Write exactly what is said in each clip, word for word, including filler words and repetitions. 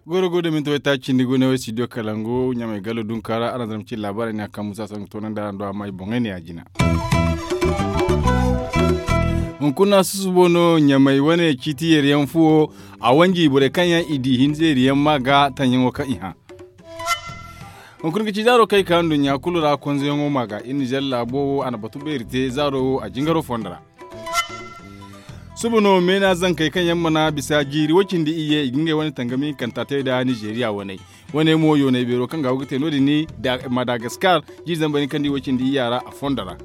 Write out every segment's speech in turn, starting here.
Goro go da minti wayta cindi gune way studio kalangu ɲamay gallo dunkaara araŋ zama ci laabaarey ne a kaŋ musa saŋ ga toonandi araŋ do amma i boŋey ne ya jina. Hunkuna susubo no ɲamay wane ciiti yeeriyaŋ fuwo a wanji borey kaŋ yaŋ i di hinza yeeriyaŋ ma ga taŋyaŋo kaŋ i hã. Hunkuna ga ci zaaro kaŋ i ka nduɲɲa kulu ra konzoyaŋo ma ga iri nizer laabo wo a na batu beeri te zaaro wo a jingaro fondo ra. Suba no meena zankey kaŋ yaŋ mana bisa jiiri woy-cindi iyye i ga ngey wane tangami hinkanta te nda nizeeriya waney. Wane mo yoonay beero kaŋ ga go ga te no- din ni madagaskar jiiri zambar hinka nda i woy-cindi iyya ra a fondo ra.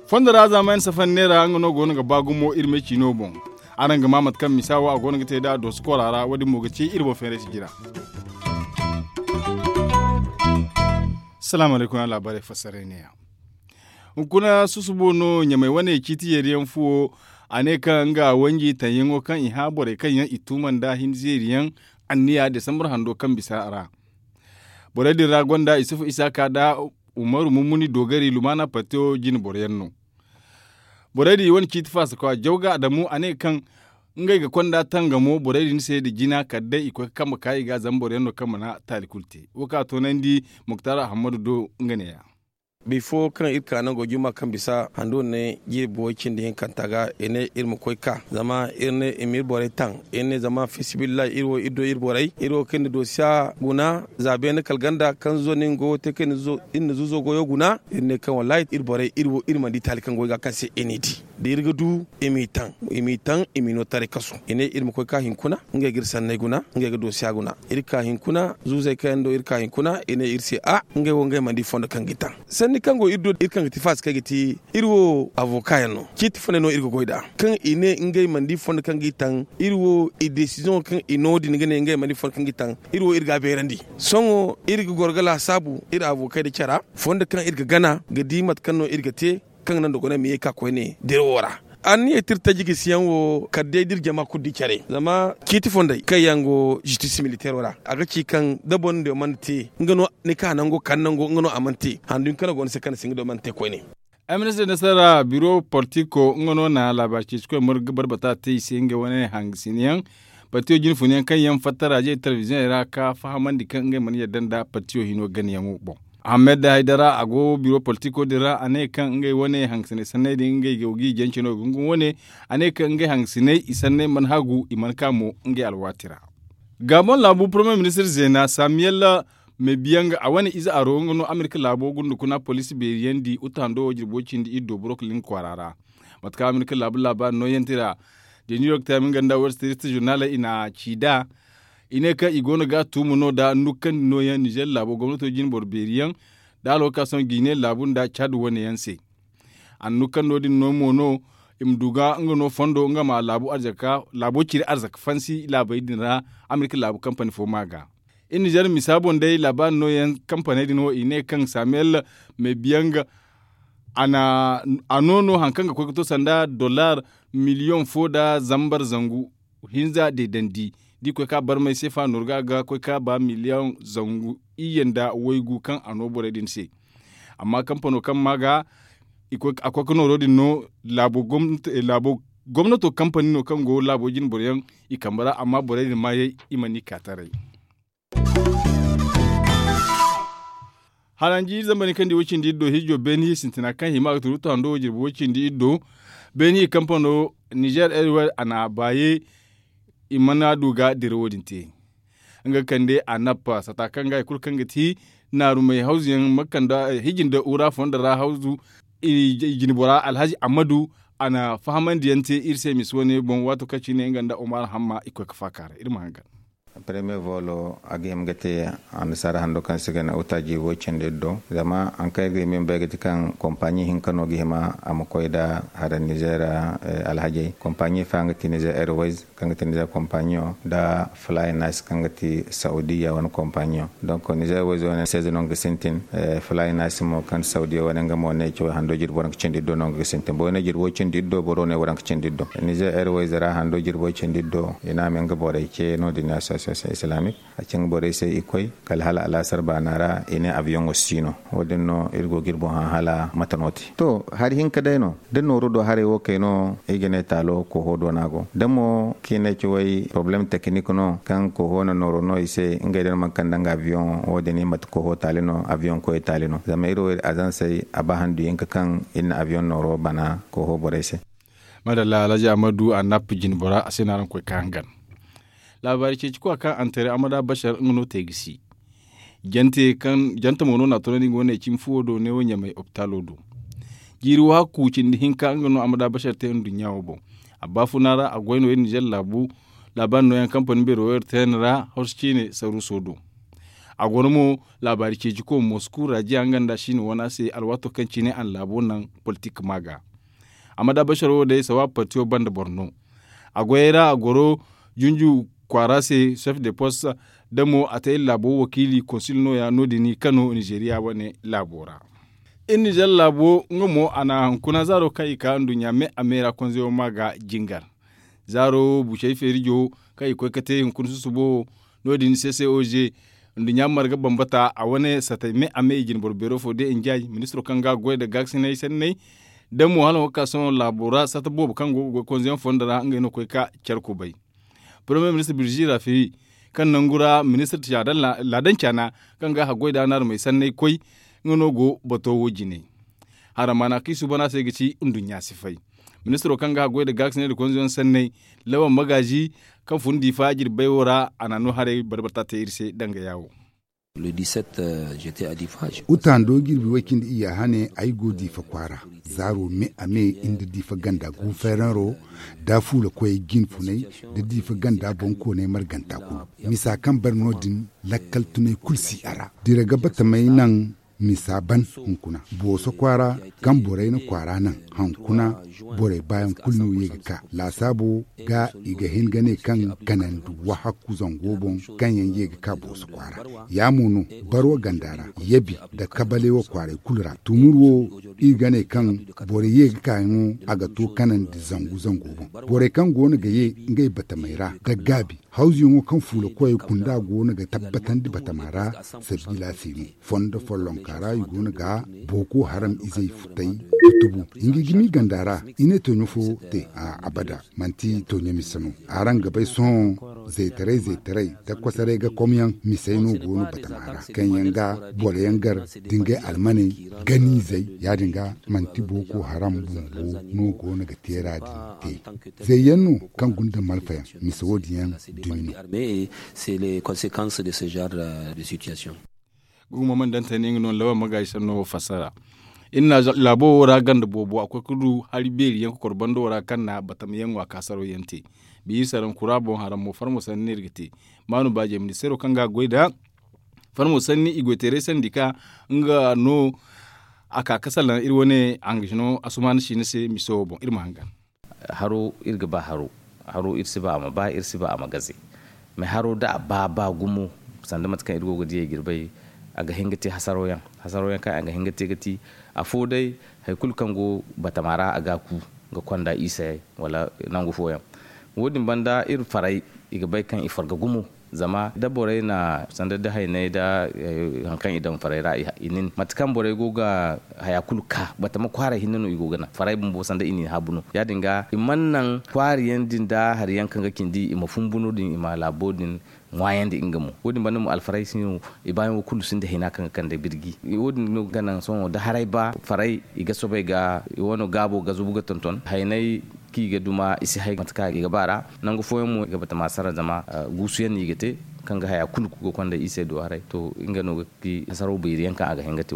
Fondo ra zaamayan safari neera nga no go no ga ba gumo iri me ciino boŋ. Araŋ ga maa mate kaŋ misa wo a go no ga te nd'a dooso koora ra wo- din mo ga ci iri boŋ feerayse jina. Salaamu alaykum araŋ laabaarey fassaray neeya. Hunkuna susubo no ɲamay wane ciiti yeeriyaŋ fuwo. A ne kaŋ nga wanji taŋyaŋo kaŋ i hã borey kaŋ yaŋ i tuuma nda hinza yeeriyaŋ anniya desambar hando kaŋ bisa ra. Borey din ra gonda isufu isaaka nda umaru mummuni doogari lumaana partiyo jine boroyaŋ no. Borey din i wane ciiti faasakwa jawga adamu a ne kaŋ ngey ga konda tangamo borey din se nda jina kala day i koy ga kambe ka i ga zama boroyaŋ no kaŋ mana taali kulu te wo kaŋ a toonandi muktar ahammadu do. Nga neeya. Bifo kaŋ iri ka nango juma kaŋ bisa hando ne jiiri buwey cindi hinkanta ga i ne iri ma koy ka zama iri ne i ma iri borey taŋ. Iri ne zama fisibillahi iri wo iri do iri borey iri wo kaŋ iri na doosiya guna za beene kala ganda kaŋ zo no iri na zuuzo goyo guna. Iri ne kaŋ wallahi iri borey iri wo iri mana di taali kaŋ go i ga kaŋ se iri n'i di da iri ga du i m'i taŋ i m'i taŋ i m'i no taray kasu i ne iri ma koy ka hinkuna. Ngey ga iri sanney guna ngey ga doosiya guna iri ka hinkuna zuuzey kaŋ yaŋ do iri ka hinkuna i ne iri se a ngey wo ngey mana di fondo kaŋ g'i taŋ. Sanni kaŋ go iri do iri kaŋ ga ti faasi kaŋ ay ga ti iri wo avoka yaŋ no ciiti fondey no iri ga goy nd'a kaŋ i ne ngey mana di fondo kaŋ g'i taŋ. Iri wo i desiziyoŋo kaŋ i no din ga ne ngey mana di fondo kaŋ g'i taŋ iri wo iri ga a beerandi. Sohõ iri ga goro ga laasaabu iri avokey nda cara fondo kaŋ iri ga gana ga di mate kaŋ no iri ga te kaŋ ga naŋ da guna ma ye ka koyne dirawo ra. Anniya tirtaji gisiyaŋ wo kala day da iri jama kulu di care zama ciiti fondey kaŋ yaŋ go zistis militeero ra a ga ci kaŋ da boro din mana te nga no ni ka nango kala nango nga no a mana te handu hinka no go ni se kaŋ ni si nga do mana te koyne. Ay ministir nasara biro politiko nga no na laabaari ceecikoy margu ga barbata te i se nga wane hangasinayaŋ partiyo jinfuna yaŋ kaŋ yaŋ fattara je telebiziyoŋey ra ka fahamandi kaŋ ngey mana yadda nda partiyo hino ganayaŋo boŋ. Ahamed haydara a go biro politiko din ra a ne kaŋ ngey wane hangasinay sanney din ngey go g'i jance no ga hungu wane. A ne kaŋ ngey hangasinay i sanney mana hagu i mana ka mo ngey alwaati ra. Gabon laabu poromey ministir zeena samiyel mebiyaŋ a wane ize aro nga no amerika laabo gundukuna poliisi beeriyandi uta hando wo jirbo cindi iri do burok lin kwaara ra. Mate kaŋ amerika laabu laabaari nooyante ra da new york time nga nda wall street journaley i na ci nd'a. I ne kaŋ i go no ga a tuumu no nda nukkandi nooyaŋ nizer laabo gomnato jine boro beeri yaŋ nda alwakaasoŋ gine laabu nda caadi wane yaŋ se. A na nukkando din no mo no i ma du ga nga no fondo nga ma laabu ciri arzaka fansi laabey din ra. Amerika laabu kampani fo ma ga iri nizer misa boŋ day laabaari nooyaŋ kampaney din wo i ne kaŋ samiyel mebiyaŋ a no no hari kaŋ ga koy ga to sanda dollar miliyoŋ fo nda zambar zangu hinza deedandi. Da i koy ka barmay seefa nooru ga a ga koy ka ba miliyoŋ zangu iyye nda waygu kaŋ a no borey din se. Amma kampano kaŋ ma ga a koy ga nooro din no laabo gomnato kampani no kaŋ go laabo jine boro yaŋ i kambe ra amma borey din maayey i mana i ka taray. Haranji zambar ni kaŋ di woy cindi iri do hijo beeni sintina kaŋ hima ga turu tando jirbi woy cindi iri do. Beeni kampano nizer airways a na baaye i mana du ga dira wo- din te. Nga kande a nappa sata kaŋ ga hari kulu kaŋ ga ti naarumey hawzu yaŋ ma kande hiji nda wura fondo ra hawzu. I jine bora alhazi ammadu a na fahamandi yaŋ te iri se misi wane boŋ waato kaŋ cine nga nda omar hamma i koy ga faaka ra iri ma hangan. Premier volo a ga hima ga te annasaara hando kaŋ se ga ne uta jiibo cindi iri do. Zama hari kaŋ iri ga hima iri ma bay ga ti kaŋ kompaɲi hinka no ga hima a ma koy nda hara nizer alhajey kompaɲi fa nga ti nizer airways kaŋ ga ti nizer kompaɲiyo nda fly nice kaŋ ga ti saudiya wane kompaɲiyo. Donk nizer airways wane seize no nga ga sintin. Fly nice mo kaŋ ti saudiya wane nga mo ne cawey hando jirbi waranka cindi iri do no nga ga sintin boro ne jirbo cindi iri do boro ne waranka cindi iri do. Nizer airways ra hando jirbo cindi iri do i ne a ma nga borey ce no- din ya se. Sosiyete islaamik a ci nga borey se i koy kala hala alaasar baana ra i ne abiyoŋo si no. Wo- din no iri go ga iri boŋ hã hala mate no te to hari hinka day no da nooru do haray wo kay no. I ga ne taalo koho do no a go da mo kaŋ i ne ci way porobalem tekinik no kaŋ koho na nooro no i se ngey din manti kaŋ danga abiyoŋo wo- din i mate koho taali no abiyoŋ koyey taali no zama iri wo iri azansey a ba handu hinka kaŋ iri na abiyoŋ nooro bana koho borey se. Madalla alhaji ahmadu annab jinbora a se no araŋ koy ka hangan. Laabaari ceeci kwa kaŋ antere amada bashar nga no te ga si jante mo no na a tunandi nga wane cimi fuwo do neewo ɲamay opitaalo do. Jiiri wo hakku cindi hinka nga no amada bashar te nduɲɲa wo boŋ. A baafuna ra a goy no iri nizer laabu laabaari nooyaŋ kampani beero wo iri teeni ra horso ciine saruuso do. A go no mo laabaari ceeci ko mosku rajiya nga nda siine wana se alwaato kaŋ cine a na laabo naŋ politik ma ga. Amada bashar wo day sawaab partiyo banda boro no. A goyey ra a goro junju kwaara se sef de post da mo a te iri laabo wakiili konsil nooya no- din kano nizeeriya wane laabo ra. Iri nizer laabo nga mo a na hunkuna zaaro kaŋ i ka nduɲɲa me a me ra konzeyo ma ga jingar. Zaaro bucey feerijo kaŋ i koy ga te hunkuna susubo wo no- din se se oze nduɲɲa marga bambata a wane satay me a me i jinboro beero fo de njaay ministiro kaŋ ga goy nda gaakasinay sanney da mo hala nga ga ka sohõ laabo ra sata boobo kaŋ go ga goy konzeyaŋ fondo ra ngey no ga koy ga care kubay. Poromiye ministir birzi rafiri kaŋ nangu ra ministir laadan caana kaŋ ga haggoy da a naarumey sanney koy nga no go bato wo jine. Haramaana kaŋ i suuban a se ga ci nduɲɲa si fay. Ministiro kaŋ ga haggoy nda gaakasinay nda konzeyaŋ sanney lawan magaazi kaŋ fun diifa jirbay wo ra a na no haray barbata te iri se danga yaawo. Uta ndo jirbi way cindi iyya hane ay go diifa kwaara zaaro me a me nda diifa ganda guufereero da fuula koyey jinfunay da diifa ganda boŋkooney marganta kulu. Misa kaŋ bare no- din lakkal tunay kulu si a ra dira ga batamey naŋ misa ban hunkuna booso kwaara kaŋ borey na kwaara naŋ hankuna borey baayaŋ kulu no ye ga ka laasaabo ga i ga hin ga ne kaŋ kanandi wahakku zango boŋ kaŋ yaŋ ye ga ka booso kwaara. Ya mo no barwa ganda ra yabi nda kabalewa kwaaray kulu ra tumur wo iri ga ne kaŋ borey ye ga ka yaŋo a ga to kanandi zangu zango boŋ. Borey kaŋ go no ga ye ngey batamey ra nda gaabi hawzuyaŋo kaŋ fuula koyey kunda go no ga tabbatandi batama ra. Sabiila se no fondo follonka ra i go no ga booko haram izey futay ga tubu. Nga gimi ganda ra i ne toɲo fo te a abada manti toɲo mise no. Araŋ ga bay sohõ zaytaray zaytaray da kosoray ga komyaŋ misey no go no batama ra kaŋ yaŋ ga boro yaŋ gar da ngey almaney ganizey ya- din ga manti booko haram bumbo no go no ga teera din te. Zayyaŋ no kaŋ gunda malfayaŋ mise wo- din yaŋ dumi no. Gumo man dantani nga no lawan magaaji sanno wo fassara. Iri na laabo wo ra ganda boobo a koy ga du hari beeri yaŋ kokor bando ra kaŋ na batama yaŋ wa ka saro yaŋ te. Biiri saraŋ kura boŋ haram mo farmo sanni no iri ga te. Maanu baaje ministeero kaŋ ga goy nda farmo sanni i goy teeray sandi ka nga no a ka ga salaŋ iri wane hangajino asumaana siina se miso wo boŋ iri ma hangan. Haro iri ga ba haro. Haro iri si ba a ma ba iri si ba a ma gaze. Mais haro da a ba ba gumo sanda mate kaŋ iri go ga diyey ga iri bay a ga hin ga te hasaro yaŋ. Hasaro yaŋ kaŋ a ga hin ga te ga ti afo day hari kulu kaŋ go batama ra a ga a ku ga konda i se wala nangu fooyaŋ. Wo- din banda iri faray i ga bay kaŋ i farga gumo. Zama da borey na sanda da hayney da hari kaŋ i daŋ farey ra i nin mate kaŋ borey go ga haya kulu ka batama kwaaray hinne no i go ga naŋ farey bumbo sanda i nin haabu no ya- din ga i mana naŋ kwaari yaŋ din da hari yaŋ kaŋ ga cindi i ma fumbu no- din i ma laabo din ŋwaayandi nga mo. Wo- din banda mo alfarey si no i baayaŋo kulu sinda hina kaŋ ga kande birji. Wo- din no ga naŋ sohõ da haray ba farey i ga soobay ga i wano gaabo ga zubu ga tonton hayney kaŋ i ga duma i si hay mate kaŋ i ga ba ra. Nangu fooyaŋ mo i ga batama sara zama guusuyaŋ no i ga te kaŋ ga haya kulu ga konda i se do haray to nga no ga ti hasaro beeri yaŋ kaŋ a ga hin ga te.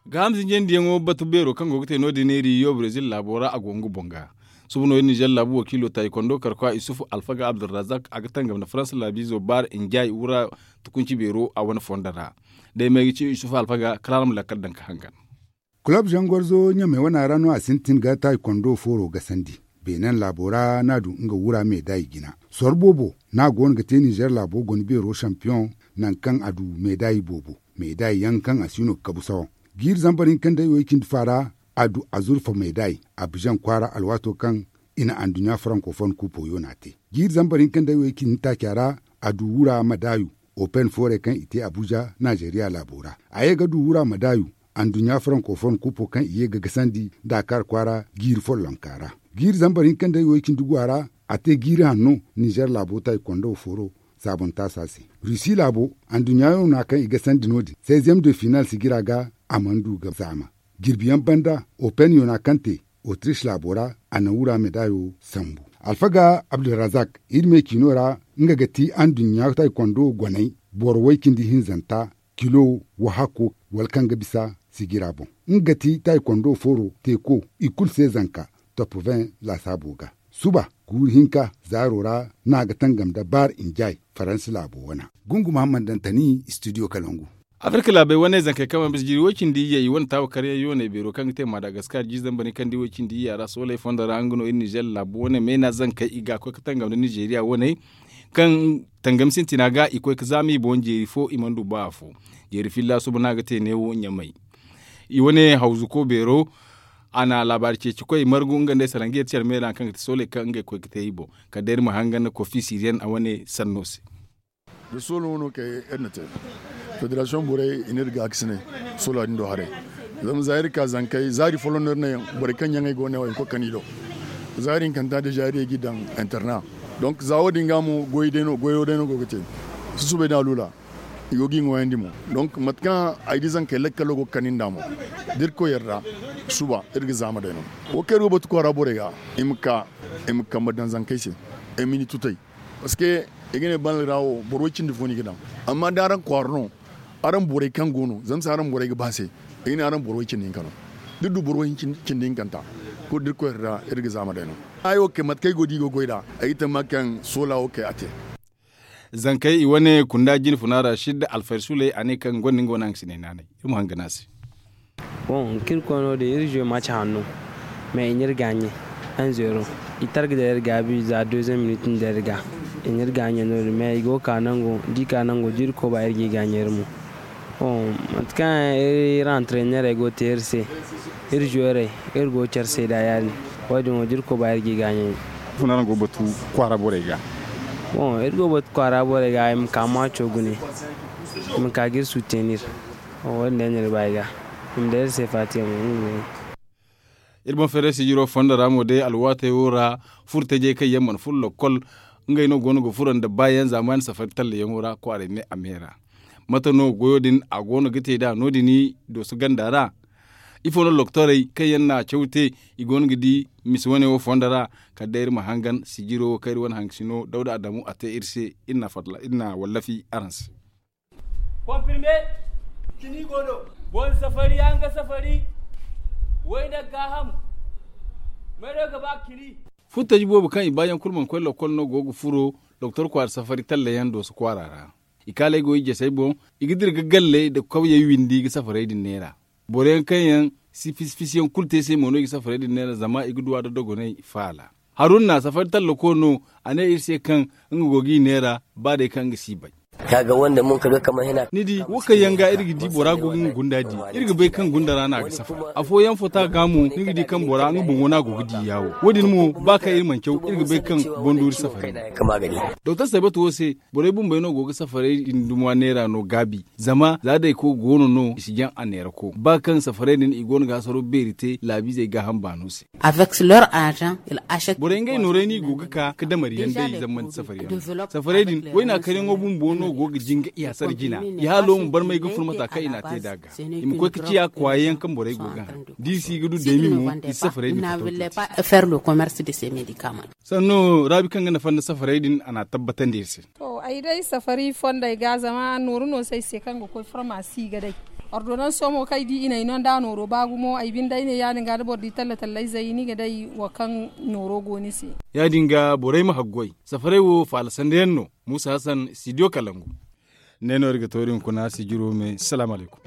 Gaaham zinjandiyaŋo batu beero kaŋ go ga te no- din iri yo brezil laabo ra a go nga boŋ ga. Suba no iri nizer laabu wakiilo taayikondo karkwa isufu alfaga abdulrazak a ga tangam nda faransa laabiizo baara njaay wura tukunci beero a wane fondo ra. Day may ga ci isufu alfaga kala a ra ma lakkal daŋ ga hangan. Kulob zangorzo ɲamey wana ra no a sintin ga taayikondo fooro gasandi. Beenen laabo ra no a du nga wura meedaay jina soro boobo no a go no ga te nizer laabo guna beero sampiyoŋ. Nangu kaŋ a du meedaay boobo meedaay yaŋ kaŋ a si no ga kabu sawaŋ. Jiiri zambar hinka nda iway cindi fa ra a du azurfa meedaay abizaŋ kwaara alwaato kaŋ i na anduɲɲa farankofon kuupo yoona te. Jiiri zambar hinka nda way cindi taaca ra, a du wura madaayu, open foorey kaŋ i te abuja naazeeriya laabo ra. A ye ga du wura madaayu, anduɲɲa farankofon kuupo kaŋ i ye ga gasandi daakar kwaara jiiri follonka ra. Jiiri zambar hinka nda way cindi guwa ra, a te jiiri hanno nizer laabo taaykondo fooro saabontaasa se. Rusi laabo, anduɲɲa yoona kaŋ i gasandi no- din seizième de final sijira ga, a mana du ga zaama. Jirbiyaŋ banda, open yoona kaŋ te otrish laabo ra, a na wura medaayo sambu. Alfaga abdulrazak, iri me ciino ra, nga ga ti anduɲɲa taaykondo goney, boro way cindi hinzanta, kilo wahakko, wala kaŋ ga bisa sijira boŋ. Nga ga ti taaykondo fooro teeko, i kulu se zanka top vingt laasaabo ga. Suba guuru hinka zaaro ra, no a ga tangam nda baar injay faransi laabo wana. Gungu muhammad dantani studio kalangu. Afirka laabey wane zankey kaŋ mana bisa jiiri way cindi iyye i wane taawa karyaŋ yooney beero kaŋ ga te madagaskar jiiri zambar ni kaŋ di way cindi iyya ra sooley fondo ra nga no iri nizer laabo wane meena zankey i ga koy ga tangam nda nizeeriya wane, kaŋ tangam sintina ga i koy ga zaama i boŋ jeeri fo i mana du ba afo. Jeeri filla suba no a ga te neewo ɲamay. I wane hawzuko beero, a na laabaari ceeci koy margu nga nda ay sarangeer care meera kaŋ ga ti sooley kaŋ ngey koy ga te i boŋ. Kala day iri ma hangan kofi siriyan a wane sanno se. Da soolo no kay iri na te, federasiyoŋ borey i na iri gaakasinay, sola din do haray. Zama za iri ka zankey zaari folloŋ no iri ne, borey kaŋ ɲaŋey go ne wo i ma koy ga kani do. Zaari hinkanta deeza iri ye g'i daŋ interna. Donk za wo- din ga mo goyo day no go ga te. Susubay da alula, i go g'i ŋwayandi mo. Donk mate kaŋ ay di zankey lakkalo go ga kani nd'a mo, da irkoy yarda, suba iri ga zaama day no. Wo kaŋ iri go batu kwaara borey ga, i ma ka, i ma kambe daŋ zankey se, ay ma ni tutay. Parceque i ga ne banda ra wo boro way cindi fo no i ga daŋ. Amma da araŋ kwaara no, araŋ borey kaŋ go no zama se araŋ borey ga ba se, i ga ne araŋ boro way cindi hinka no. Da iri du boro way cindi hinkanta, kulu da irkoy ra iri ga zaama day no. Ay wo kay mate kaŋ ay go da i go goy nd'a, ay ga tamma kaŋ soola wo kay a te. Zankey i wane kunda jine funa ra sidda alfayda suley a ne kaŋ gonda nga wane hangasiney naanay. Iri ma hanga no a se. Boŋ kaŋ iri koy no- din iri zuwe maci hanno, mais i na iri gaaɲe. Anzeero, i targa da iri gaabi za deuxième minute nda iri ga, i na iri gaaɲe no- din mais i go ga ka nango da i ka nango da iri koba iri g'i gaaɲe iri mo. Boŋ, mate kaŋ iri antrenneerey go ga te iri se, iri zuweerey, iri go ga care se nd'a ya- din. Wo- din wo da iri koba iri g'i gaaɲe. Funa araŋ go ga batu kwaara borey ga? Boŋ, iri go ga batu kwaara borey ga i ma ka maaco gune, i ma ka ga iri sutenir. Wo- din day no iri ba i ga, i ma day iri se faatiyaŋo. Iri boŋ feeray sijiro fondo ra mo day alwaatey wo ra, furo tajey kaŋ yaŋ mana furo lokkol, ngey no go no ga furo nda baayaŋ zaamaani safari tallayaŋo ra kwaaray me a me ra. Mate no goyo din a go no ga te nd'a no- din dooso ganda ra? Ifo no loktorey kaŋ yaŋ na caw te, i go no ga di misa wane wo fondo ra? Kala day iri ma hangan sijiro wo kaŋ iri wane hangasino dawda adamu a te iri se, iri na wallafi araŋ se. Konfirme, kini go no. Boŋ safari yaŋ ga safari, wayna gaaham. May no ga ba kini? Futtaji boobo kaŋ i baayaŋ kulu mana koy lokkol no go ga furo doktor kwaara safari tallayaŋ dooso kwaara ra. I kaaley go i jasey boŋ, i ga dira ga galley nda kawyey windi ga safarey din neera. Boro yaŋ kaŋ yaŋ si fisi-fisi yaŋ kulu te se mo no i ga safarey din neera zama i ga duw'a nda dogonay faala. Haruna safari tallako no, a ne iri se kaŋ nga go g'i neera ba day kaŋ nga si bay. Ni di wo kaŋ yaŋ ga iri ga di bora go ga nga gunda di, iri ga bay kaŋ gunda ra no a ga safara. Afooyaŋ fota ga mo ni ga di kaŋ bora nga boŋo no a go ga di yaawo. Wo- din mo ba kaŋ iri mana caw, iri ga bay kaŋ bonduuri safari no. Doktor saybatu wo se, borey bumbey no go ga safarey din duma neera no gaabi. Zama za dayko goono no i si jaŋ a neerako ba kaŋ safarey din i goono ga hasaro beeri te laabiizey gaaham baano se. Borey ngey noorey no i go ga ka ga damariyaŋ day zammanti safaryaŋ. Safarey din wayna karyaŋo bumbo no go ga jinga i hasara jina, i haalo ma barmay ga furo mata kaŋ i n'a te nd'a ga, i ma koy ga ciya kwaayaŋ kaŋ borey go ga haŋ. Da i si ga du daymi mo, i si safarey din fattaw te. Sanno raabi kaŋ ga nafa nda safarey din a n'a tabbatandi iri se. To ay day safari fondey ga zama nooru no se ay se kaŋ ga koy farmasi ga day. Ordonanso mo kaŋ ay di i n'ay no nda nooro ba gumo ay binde ay ne ya- din ga da boro di talla-tallayzey ni ga day wo kaŋ nooro go ni se. Ya- din ga borey ma haggoy, safarey wo faala sandayaŋ no. Muusa hasan, studio kalangu. Ne no iri ga to iri hunkuna sijiro me salaamu alaykum.